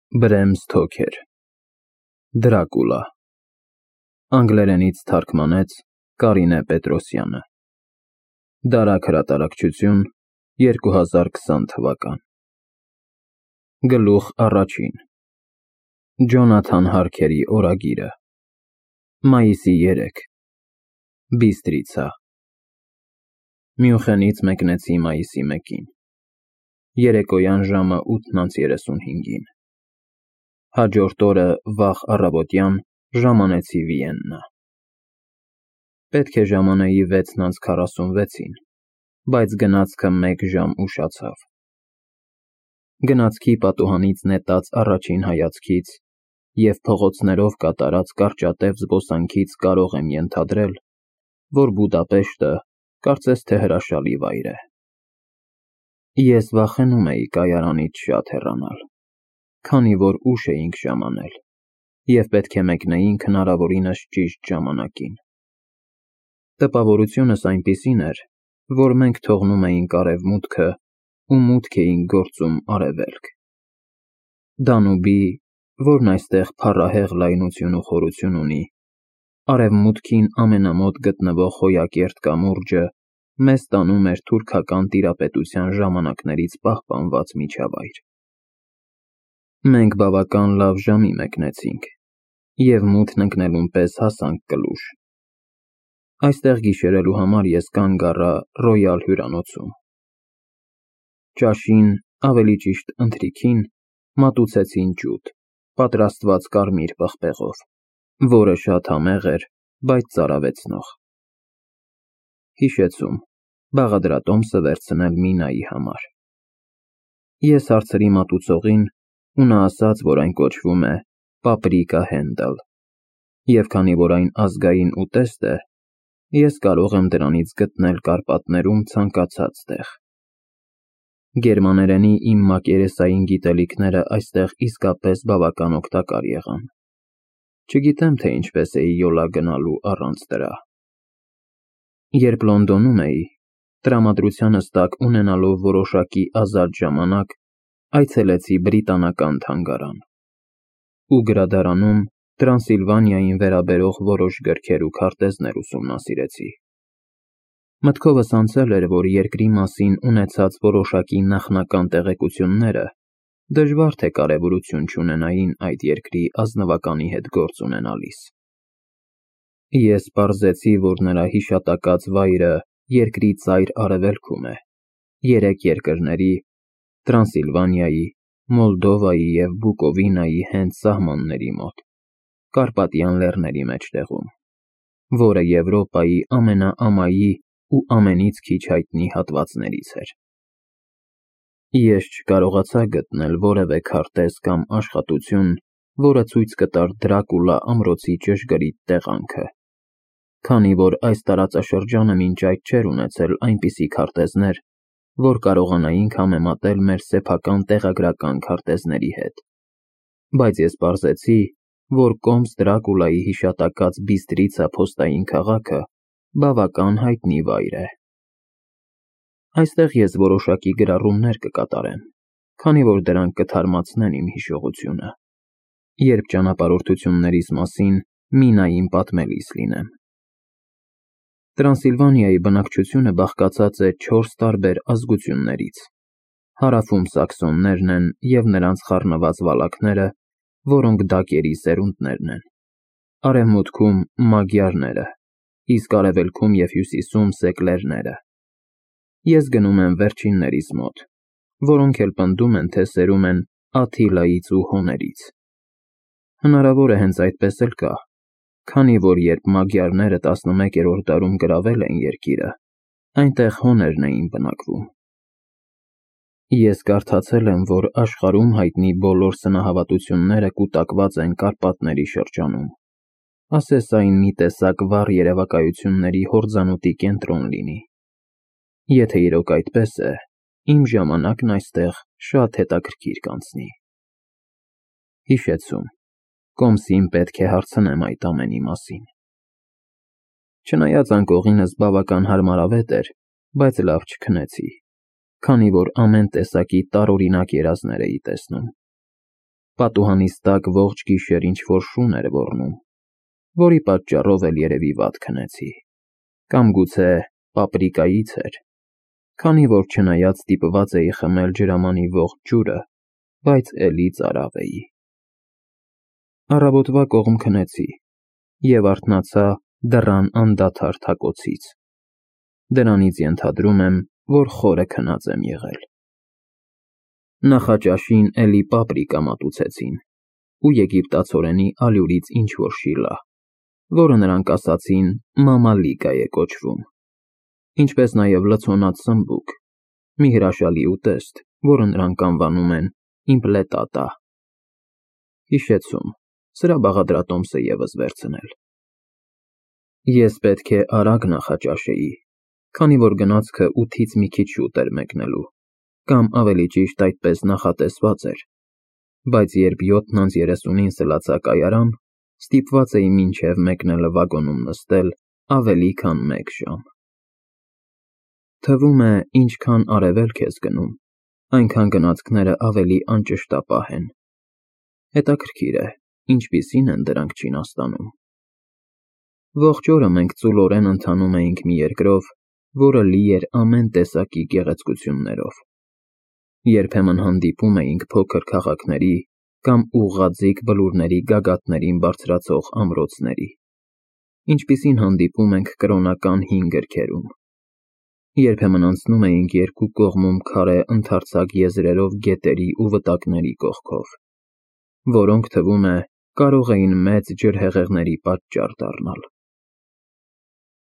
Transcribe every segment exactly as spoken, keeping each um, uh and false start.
Բրեմ Սթոքեր Դրակուլա Անգլերենից թարգմանեց Կարինե Պետրոսյանը Դարակ հրատարակչություն երկու հազար քսան թվական Գլուխ առաջին Ջոնաթան Հարքերի օրագիրը Մայիսի երեք Բիստրիցա Մյունխենից մեկնեցի մայիսի մեկին Երեկոյան ժամը ութն անց երեսունհինգին Հաջորդ օրը վաղ առավոտյան ժամանեցի Վիեննա Պետք է ժամանեի վեցն անց քառասունվեցին, բայց գնացքը մեկ ժամ ուշացավ Գնացքի պատուհանից նետած առաջին հայացքից և փողոցներով կատարած կարճատև զբոսանքից կարող եմ ենթադրել, որ Բուդապեշտը կարծես թե հրաշալի վայր է Ես վախենում էի կայարանից շատ հեռանալ, քանի որ ուշ էինք ժամանել և պետք է մեկնեինք հնարավորինս ճիշտ ժամանակին Տպավորությունս այնպիսին էր, որ մենք թողնում էինք արևմուտքը ու մուտք էինք գործում արևելք Դանուբի, որն այստեղ փառահեղ լայնություն ու խորություն ունի, արևմուտքին ամենամոտ գտնվող Խոյակերտ կամուրջը մեզ տանում էր թուրքական տիրապետության ժամանակներից պահպանված միջավայր Մենք բավական լավ ժամի մեկնեցինք և մութն ընկնելուն պես հասանք Կլուժ Այստեղ գիշերելու համար ես կանգ առա Ռոյալ հյուրանոցում Ճաշին, ավելի ճիշտ ընթրիքին, մատուցեցին ջուդ, պատրաստված կարմիր պղպեղով, որը շատ համեղ էր, բայց ծարավեցնող Հիշեցում, բաղադրատոմսը վերցնել Մինայի համար Ես հարցրի մատուցողին ու նա ասաց, որ այն կոչվում է Պապրիկա Հենդլ և քանի որ այն ազգային ուտեստ է, ես կարող եմ դրանից գտնել Կարպատներում ցանկացած տեղ Գերմաներենի իմ մակերեսային գիտելիքները այստեղ իսկապես բավական օգտակար եղան Չգիտեմ, թե ինչպես էի յոլա գնալու առանց դրա Երբ Լոնդոնում էի, տրամադրությանս տակ ունենալով որոշակի ազատ ժամանակ, այցելեցի բրիտանական թանգարան ու գրադարանում Տրանսիլվանիային վերաբերող որոշ գրքեր ու քարտեզներ ուսումնասիրեցի Մտքովս անցել էր, որ երկրի մասին ունեցած որոշակի նախնական տեղեկությունները դժվար թե կարևորություն չունենային այդ երկրի ազնվականի հետ գործ ունենալիս Ես պարզեցի, որ նրա հիշատակած վայրը երկրի ծայր արևելքում է, երեք երկրների՝ Տրանսիլվանիայի, Մոլդովայի և Բուկովինայի հենց սահմանների մոտ, Կարպատյան լեռների մեջտեղում, որը Եվրոպայի ամենաամայի ու ամենից քիչ հայտնի հատվածներից էր Ես չկարողացա գտնել որևէ քարտեզ կամ աշխատություն, որը ցույց կտար Դրակուլա ամրոցի ճշգրիտ տեղանքը, քանի որ այս տարածաշրջանը մինչ այդ չէր ունեցել այնպիսի քարտեզներ, որ կարողանայինք համեմատել մեր սեփական տեղագրական քարտեզների հետ, բայց ես պարզեցի, որ կոմս Դրակուլայի հիշատակած Բիստրիցա փոստային քաղաքը բավական հայտնի վայր է Այստեղ ես որոշակի գրառումներ կկատարեմ, քանի որ դրանք կթարմացնեն իմ հիշողությունը, երբ ճանապարհորդություններիս մասին Մինային պատմելիս լինեմ Տրանսիլվանիայի բնակչությունը բաղկացած է չորս տարբեր ազգություններից Հարավում սաքսոններն են և նրանց խառնված վալակները, որոնք դակերի սերունդներն են, արևմուտքում մագյարները, իսկ արևելքում և հյուսիսում սեկլերները Ես գնում եմ վերջիններիս մոտ, որոնք էլ պնդում են, թե սերում են Աթիլայից ու հոներից Հնարավոր է հենց այդպես էլ կա, քանի որ երբ մագյարները տասնմեկերորդ դարում գրավել էին երկիրը, այնտեղ հոներն էին բնակվում Ես կարդացել եմ, որ աշխարհում հայտնի բոլոր սնահավատությունները կուտակված են Կարպատների շրջանում, ասես այն մի տեսակ վառ երևակայությունների հորձանուտի կենտրոն լինի Եթե իրոք այդպես է, իմ ժամանակն այստեղ շատ հետաքրքիր կանցնի Հիշեցում, կոմսին պետք է հարցնեմ այդ ամենի մասին Չնայած անկողինս բավական հարմարավետ էր, բայց լավ չքնեցի, քանի որ ամեն տեսակի տարօրինակ երազներ էի տեսնում Պատուհանից տակ ողջ գիշեր ինչ-որ շուն էր ոռնում, որի պատճառով էլ երևի վատ քնեցի, կամ գուցե պապրիկայից էր, քանի որ չնայած ստիպված էի խմել ջրամանի ողջ ջուրը, բայց էլի ծարավ էի։ Առավոտվա կողմ քնեցի և արթնացա դռան անդադար թակոցից։ Դրանից ենթադրում եմ, որ խորը քնած եմ եղել։ Նախաճաշին էլի պապրիկա մատուցեցին ու եգիպտացորենի ալյուրից ինչ-որ շիլա, որը նրանք ասացին մամալիկա է կոչվում, ինչպես նաև լցոնած սմբուկ, մի հրաշալի ուտեստ, որը նրանք անվանում են իմպլետատա։ Հիշեցում, սրա բաղադրատոմսը ևս վերցնել։ Ես պետք է արագ նախաճաշեի, քանի որ գնացքը ութից մի քիչ շուտ էր մեկնելու, կամ ավելի ճիշտ այդպես նախատեսված էր, բայց երբ յոթն անց երեսունին սլացա կայարան, ստիպված էի մինչև մեկնելը վագոնում նստել ավելի քան մեկ ժամ։ Թվում է, ինչքան արևելք ես գնում, այնքան գնացքները ավելի անճշտապահ են։ Հետաքրքիր է, ինչպիսին են դրանք Չինաստանում։ Ողջ օրը մենք ծուլորեն ընթանում էինք մի երկրով, որը լի էր ամեն տեսակի գեղեցկություններով։ Երբեմն հանդիպում էինք փոքր քաղաքների կամ ուղղաձիգ բլուրների գագաթներին բարձրացող ամրոցների, ինչպիսին հանդիպում ենք կրոնական հին գրքերում։ Երբեմն անցնում էինք երկու կողմում քարե ընդարձակ եզրերով գետերի ու վտակների կողքով, որոնք, թվում է, կարող էին մեծ ջրհեղեղների պատճառ դառնալ։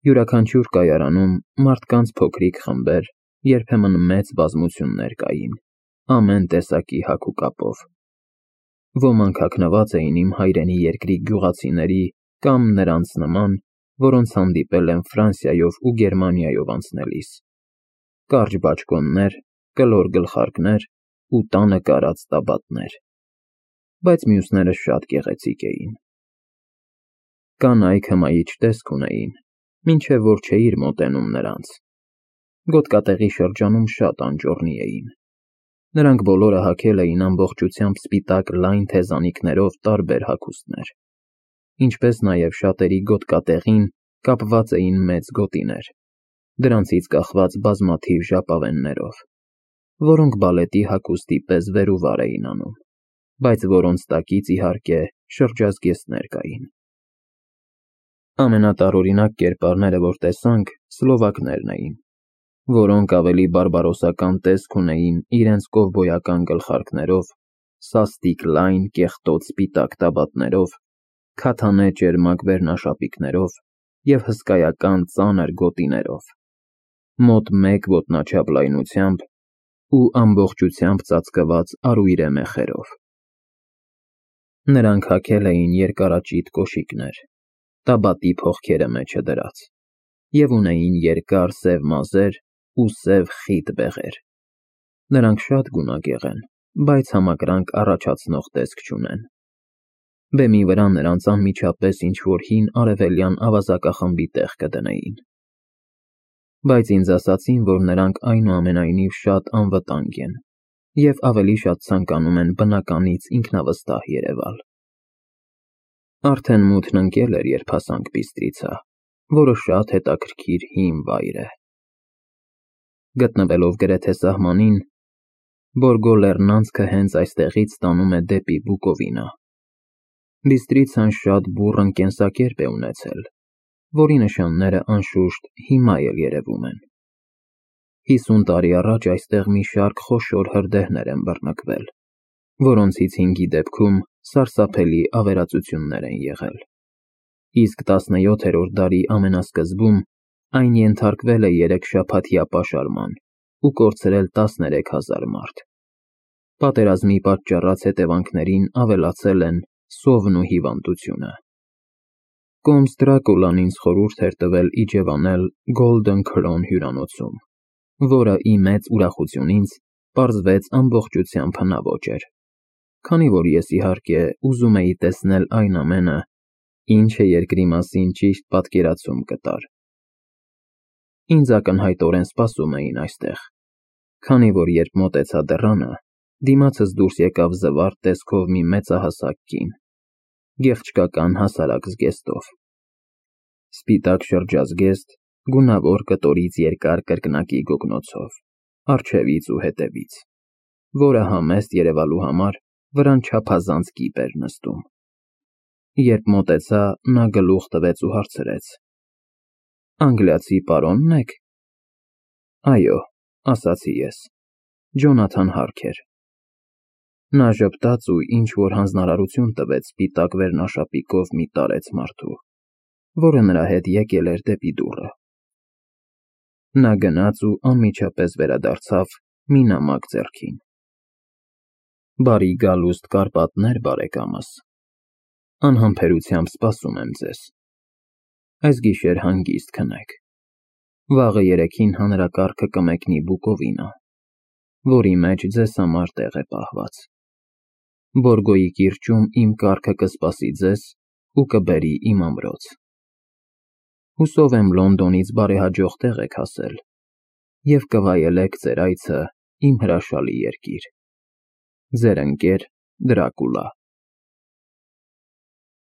Յուրաքանչյուր կայարանում մարդկանց փոքրիկ խմբեր, երբեմն մեծ բազմություններ կային, ամեն տեսակի հագ ու կապով։ Ոմանք հագնված էին իմ հայրենի երկրի գյուղացիների կամ նրանց նման, որոնց հանդիպել եմ Ֆրանսիայով ու Գերմանիայով անցնելիս։ Կարճ բաճկոններ, կլոր գլխարկներ ու տանը կարած տաբատներ, բայց մյուսները շատ գեղեցիկ էին։ Կանայք հմայիչ տեսք ունեին, մինչև որ չէիր մոտենում նրանց։ Գոտկատեղի շրջանում շատ անճոռնի էին։ Նրանք բոլորը հագել էին ամբողջությամբ սպիտակ լայն թեզանիքներով տարբեր հագուստներ, ինչպես նաև շատերի գոտկատեղին կապված էին մեծ գոտիներ, դրանցից կախված բազմաթիվ ժապավեններով, որոնք բալետի հագուստի պես վեր ու վար էին անում, բայց որոնց տակից, իհարկե, շրջազգեստներ կային։ Ամենատարօրինակ կերպարները, որ տեսանք, սլովակներն էին, որոնք ավելի բարբարոսական տեսք ունեին իրենց կովբոյական գլխարկներով, սաստիկ լայն, կեղտոտ սպիտակ տաբատներով, քաթանե ճերմակ վերնաշապիկներով և հսկայական ծանր գոտիներով, մոտ մեկ ոտնաչափ լայնությամբ ու ամբողջությամբ ծածկված արույրե մեխերով։ Նրանք հագել էին երկարաճիտ կոշիկներ, տաբատի փողքերը մեջը դրած, և ունեին երկար սև մազեր ու սև խիտ բեղեր։ Նրանք շատ գունագեղ են, բայց համակրանք առաջացնող տեսք չունեն։ Բեմի վրա նրանց անմիջապես ինչ-որ հին արևելյան ավազակախմբի տեղ կդնեին։ Բայց ինձ ասացին, որ նրանք այնուամենայնիվ շատ անվտանգ են և ավելի շատ ցանկանում են բնականից ինքնավստահ երևալ։ Արդեն մութն ընկել էր, երբ հասանք Բիստրիցա, որը շատ հետաքրքիր հին վայր է։ Գտնվելով գրեթե սահմանին, Բորգո լեռնանցքը հենց այստեղից տանում է դեպի Բուկովինա։ Բիստրիցան շատ բուռն կենսակերպ է ունեցել, որի նշանները, անշուշտ, հիմա էլ երևում են։ Հիսուն տարի առաջ այստեղ մի շարք խոշոր հրդեհներ են բռնկվել, որոնցից հինգի դեպքում սարսափելի ավերածություններ են եղել, իսկ տասնյոթերորդ դարի ամենասկզբում այն ենթարկվել է երեք շաբաթյա պաշարման ու կորցրել տասներեք հազար մարդ։ Պատերազմի պատճառած հետևանքներին ավելացել են սովն ու հիվանդությունը։ Կոմս Դրակուլան ինձ խորհուրդ էր տվել իջևանել Golden Crown հյուրանոցում, որը ի մեծ ուրախություն ինձ պարզվեց ամբողջությամբ հնաոճ էր, քանի որ ես, իհարկե, ուզում էի տեսնել այն ամենը, ինչը երկրի մասին ճիշտ պատկերացում կտար։ Ինձ ակնհայտորեն սպասում էին այստեղ, քանի որ երբ մոտեցա դռանը, Դիմացս դուրս եկավ զվարթ տեսքով մի մեծահասակ կին, գեղչկական հասարակ զգեստով։ Սպիտակ շրջազգեստ, գունավոր կտորից երկար կրկնակի գոգնոցով, առջևից ու հետևից, որը համեստ երևալու համար վրան չափազանց կիպ էր նստում։ Երբ մոտեցա, նա գլուխ տվեց ու հարցրեց. Անգլիացի պարոնն եք։ Այո, ասացի ես, Ջոնաթան Հարքեր։ Նա ժպտաց ու ինչ-որ հանձնարարություն տվեց սպիտակ վերնաշապիկով մի տարեց մարդու, որը նրա հետ եկել էր դեպի դուռը։ Նա գնաց ու անմիջապես վերադարձավ մի նամակ ձեռքին։ Բարի գալուստ Կարպատներ, բարեկամս, անհամբերությամբ սպասում եմ ձեզ։ Այս գիշեր հանգիստ քնեք։ Վաղը երեքին հանրակարգը կմեկնի Բուկովինա, որի մեջ ձեզ համար տեղ է պահված։ Բորգոյի կիրճում իմ կառքը կսպասի ձեզ ու կբերի իմ ամրոց։ Հուսով եմ Լոնդոնից բարեհաջող տեղ եք հասել և կվայելեք ձեր այցը իմ հրաշալի երկիր։ Ձեր ընկեր Դրակուլա։